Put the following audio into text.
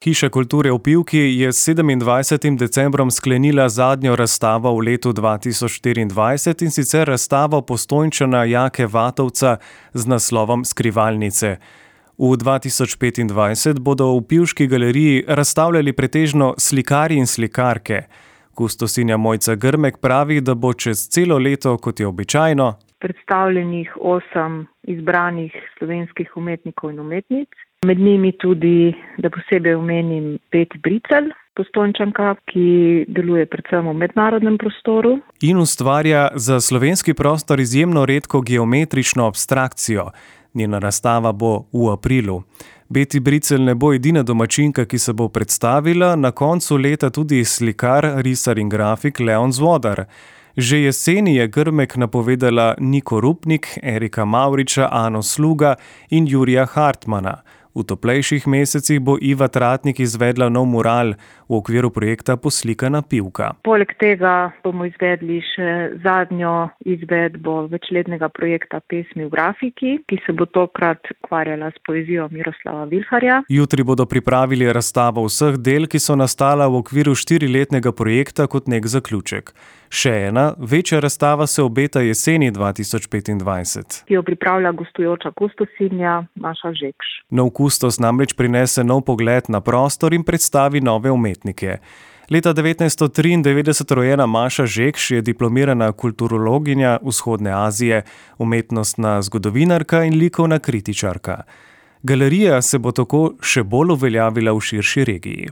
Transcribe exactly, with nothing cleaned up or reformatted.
Hiša kulture v Pivki je s sedemindvajsetim decembrom sklenila zadnjo razstavo v letu dva tisoč štiriindvajset, in sicer razstavo Postojnčana Jake Vatovca z naslovom Skrivalnice. V dva tisoč petindvajset bodo v Pivški galeriji razstavljali pretežno slikarji in slikarke. Kustosinja Mojca Grmek pravi, da bo čez celo leto, kot je običajno, predstavljenih osem izbranih slovenskih umetnikov in umetnic. Med njimi tudi, da posebej omenim, Peti Bricelj, Postojnčanka, ki deluje predvsem v mednarodnem prostoru. In ustvarja za slovenski prostor izjemno redko geometrično abstrakcijo. Njena razstava bo v aprilu. Peti Bricelj ne bo edina domačinka, ki se bo predstavila, na koncu leta tudi slikar, risar in grafik Leon Zvodar. Že jeseni je Grmek napovedala Niko Rupnik, Erika Mavriča, Ano Sluga in Jurija Hartmana. V toplejših mesecih bo Iva Tratnik izvedla nov mural v okviru projekta Poslikana Pivka. Poleg tega bomo izvedli še zadnjo izvedbo večletnega projekta Pesmi v grafiki, ki se bo tokrat ukvarjala s poezijo Miroslava Vilharja. Jutri bodo pripravili razstavo vseh del, ki so nastala v okviru štiriletnega projekta kot nek zaključek. Še ena, večja razstava se obeta jeseni dva tisoč petindvajset. Ki jo pripravlja gostujoča kustosinja Maša Žekš. Nov kustos namreč prinese nov pogled na prostor in predstavi nove umetnike. Leta devetnajststo triindevetdeset rojena Maša Žekš je diplomirana kulturologinja Vzhodne Azije, umetnostna zgodovinarka in likovna kritičarka. Galerija se bo tako še bolj uveljavila v širši regiji.